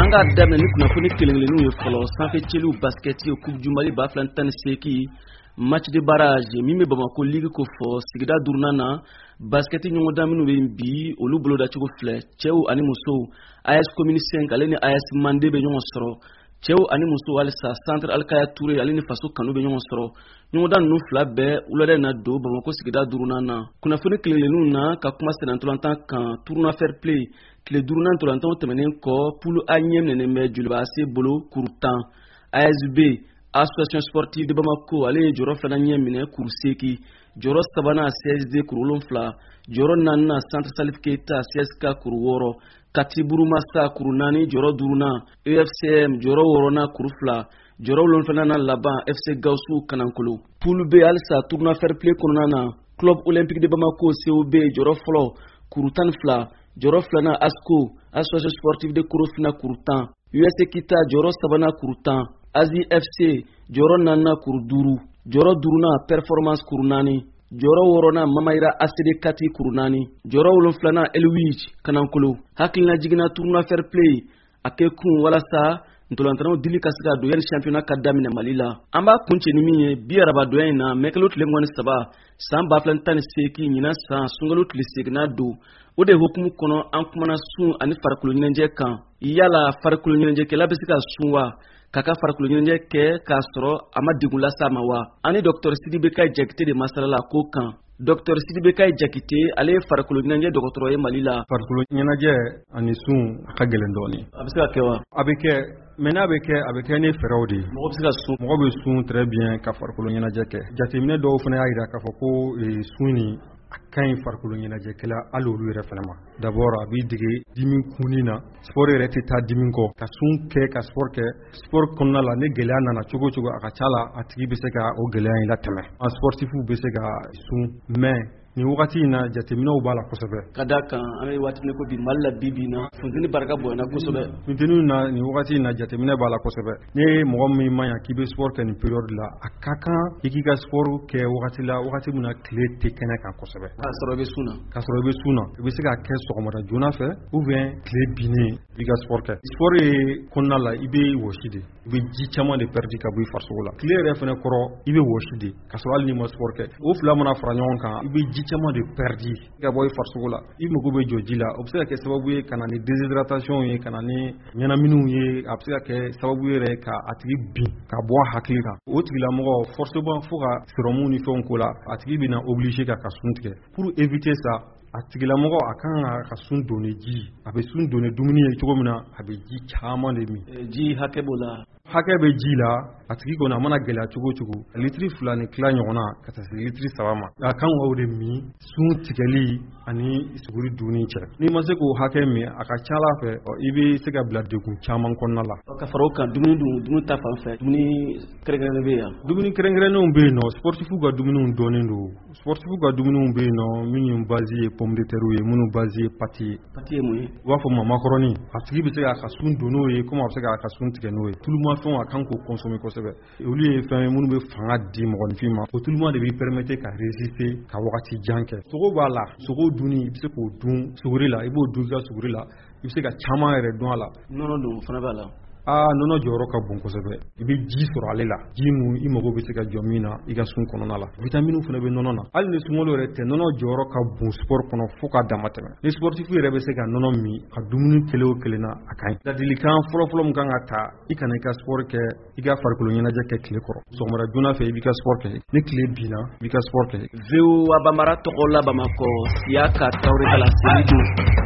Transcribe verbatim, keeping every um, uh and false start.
An k'a daminɛ ni kunnafoni kelen kelenninw ye fɔlɔ. Sanfɛ cɛliw, basket, Coupe du Mali ba fila ni tan ni seegin, match de barrage min bɛ Bamako ligue ko fɔ, sigida duurunan na, basket ɲɔgɔndan minnu bɛ yen bi, olu bolodacogo filɛ. Cɛw ani musow, A S Commune cinq ale ni A S Mande bɛ ɲɔgɔn sɔrɔ. Cɛw ani musow halisa, Centre Alikaya Touré ale ni Faso Kanu bɛ ɲɔgɔn sɔrɔ. Ɲɔgɔndan ninnu fila bɛɛ wulada in na don Bamako sigida duurunan na. Kunnafoni kelen na ka kuma sennantolatan kan, tournoi fair play tile duurunan ntolantanw tɛmɛnen kɔ, poule A ɲɛ minɛnen bɛ Joliba A C bolo, kuru tan. A S B, Association Sportive de Bamako, ale ye jɔyɔrɔ filanan ɲɛ minɛ, kuru seeki. Jɔyɔrɔ sabanan, C S D, kuru wolonfila. Jɔyɔrɔ naaninan, Centre Salif Keita, C S K, kuru wɔɔrɔ. Kati Burumasa, kuru naani. Jɔyɔrɔ duurunan, U F C M. Jɔyɔrɔ wɔɔrɔnan, kuru fila. Jɔyɔrɔ wolonfilanan laban, F C Gawusu Kanankolo. Poule B halisa, tournoi fair play kɔnɔna na, Club Olympique de Bamako, C O B, jɔyɔrɔ fɔlɔ, kuru tan ni fila. Jɔyɔrɔ filanan, ASCO, Association Sportive de Korofina, kuru tan. U S Kita, jɔyɔrɔ sabanan, kuru tan. Azi F C, jɔyɔrɔ naaninan, kuru duuru. Jɔyɔrɔ duurunan, Performance, kuru naani. Jɔyɔrɔ wɔɔrɔnan, Mamayira A C D Kati, kuru naani. Jɔyɔrɔ wolonfilanan, Elwij Kanankolo. Hakilina jiginna, tournoi fair play a kɛ kun walasa ntolantanaw dili ka se ka don yanni championnat ka daminɛ Mali la. An b'a kuncɛ ni min ye, bi arabadonya in na, mɛkalo tile mugan ni saba san ba fila ni tan ni seegin, ɲinan san sunkalo tile seginna don. O de hukumu kɔnɔ, an kumana sun ani farikolo ɲɛnajɛ kan. Yala farikolo ɲɛnajɛkɛla bɛ se ka sun wa, k'a ka farikolo ɲɛnajɛ kɛ k'a sɔrɔ a ma degun lase a ma wa? Ani Dɔkitɛri Sidibe Kayi Jakite de masalala ko kan. Dɔkitɛri Sidibe Kayi Jakite, ale ye farikolo ɲɛnajɛ dɔgɔtɔrɔ ye Mali la. Farikolo ɲɛnajɛ ani sun, a ka gɛlɛn dɔɔnin. A bɛ se ka kɛ wa? A bɛ kɛ, mais n'a bɛ kɛ, a bɛ kɛ ni fɛɛrɛw de ye. Mɔgɔ bɛ se ka sun? Mɔgɔ bɛ sun très bien ka farikolo ɲɛnajɛ kɛ. Jateminɛ dɔw fana y'a jira k'a fɔ ko sun nin, a ka ɲi farikolo ɲɛnajɛkɛla hali olu yɛrɛ fana ma. D'abord, a b'i dege dimi kunni na. Sport yɛrɛ tɛ taa dimi kɔ. Ka sun kɛ ka sport kɛ, sport kɔnɔna la, ni gɛlɛya nana cogo o cogo, a ka ca la a tigi bɛ se ka o gɛlɛya in latɛmɛ. An sportifu bɛ se ka sun, mais nin wagati in na, jateminɛw b'a la kosɛbɛ. Ka da kan, an bɛ waati min ko bi, Mali la, bi bi in na, funteni barika bonyana kosɛbɛ. Funteni na, nin wagati in na, jateminɛ b'a la kosɛbɛ. Ni mɔgɔ min man ɲa k'i bɛ sport kɛ nin période la, a ka kan i k'i ka sport kɛ wagati la, wagati min na tile tɛ kɛnɛ kan kosɛbɛ. K'a sɔrɔ i bɛ sun na. K'a sɔrɔ i bɛ sun na. I bɛ se k'a kɛ sɔgɔmada joona fɛ ou bien tile binnen, i ka sport kɛ. Sport ye kɔnɔna la, i bɛ wɔsi de, i bɛ ji caman de perdu ka bɔ i farisogo la. Tile yɛrɛ fɛnɛ kɔrɔ, i bɛ wɔsi de, k'a sɔrɔ hali n'i ma sport kɛ. O fila mana fara ɲɔgɔn kan, i bɛ ji caman de perdu ka bɔ i farisogo la. I mago bɛ jɔ ji la. O bɛ se ka kɛ sababu ye ka na ni déshydratation ye, ka na ni ɲɛnaminiw ye. A bɛ se ka kɛ sababu yɛrɛ ka a tigi bin ka bɔ a hakili kan. O tigilamɔgɔ, forcément, fo ka sérum ni fɛnw ko la, a tigi bɛna obligé ka ka sun tigɛ. Pour éviter ça, a tigilamɔgɔ a kan ka ka sun don ni ji. A bɛ sun don ni dumuni ye cogo min na, a bɛ ji caman de min. Ji hakɛ b'o la? Hakɛ bɛ ji la. A tigi kɔni, a mana gɛlɛya cogo o cogo, litiri fila ni tila ɲɔgɔnna ka taa se litiri saba ma, a kan k'o de min sun tigɛli ani suguri dunni cɛ. N'i ma se k'o hakɛ min, a ka ca ala fɛ, i bɛ se ka bila degun caman kɔnɔna la. Ka fara o kan, dumuni dun, dumuni ta fan fɛ, dumuni kɛrɛnkɛrɛnnen bɛ yan? Dumuni kɛrɛnkɛrɛnnenw bɛ yen nɔ. Sportifu ka dumuniw dɔnnen don. Sportifu ka dumuniw bɛ yen nɔ, minnu base ye pomme de terre ye, minnu base ye pâte ye. Pâte ye mun ye? U b'a fɔ ma macaroni. A tigi bɛ se k'a ka sun don n'o ye, komi a bɛ se k'a ka sun tigɛ n'o ye. Tulumafɛnw, a kan k'o consommer kosɛbɛ. Olu ye fɛn ye minnu bɛ fanga di mɔgɔninfin ma. O tuluma de b'i permettre ka résister ka wagati jan kɛ. Sogo b'a la. Sogo dunni, i bɛ se k'o dun suguri la, i b'o dun i ka suguri la, i bɛ se ka caman yɛrɛ dun a la. Nɔnɔ dun fana b'a la? Aa, nɔnɔ jɔyɔrɔ ka bon kosɛbɛ. I bɛ ji sɔrɔ ale la, ji mun i mago bɛ se ka jɔ min na i ka sun kɔnɔna la. Vitaminiw fana bɛ nɔnɔ na. Hali ni sunkalo yɛrɛ tɛ, nɔnɔ jɔyɔrɔ ka bon sport kɔnɔ fo k'a dama tɛmɛ. Ni sportif yɛrɛ bɛ se ka nɔnɔ min ka dumuni kelen o kelen na, a ka ɲi. Ladilikan fɔlɔfɔlɔ min kan ka ta, i kana i ka sport kɛ, i ka farikolo ɲɛnajɛ kɛ tile kɔrɔ. Sɔgɔmada joona fɛ, i b'i ka sport kɛ. Ni tile binna, i b'i ka sport kɛ. V O A Bambara tɔgɔ la Bamakɔ, Siyaka Tarawele ka laseli don.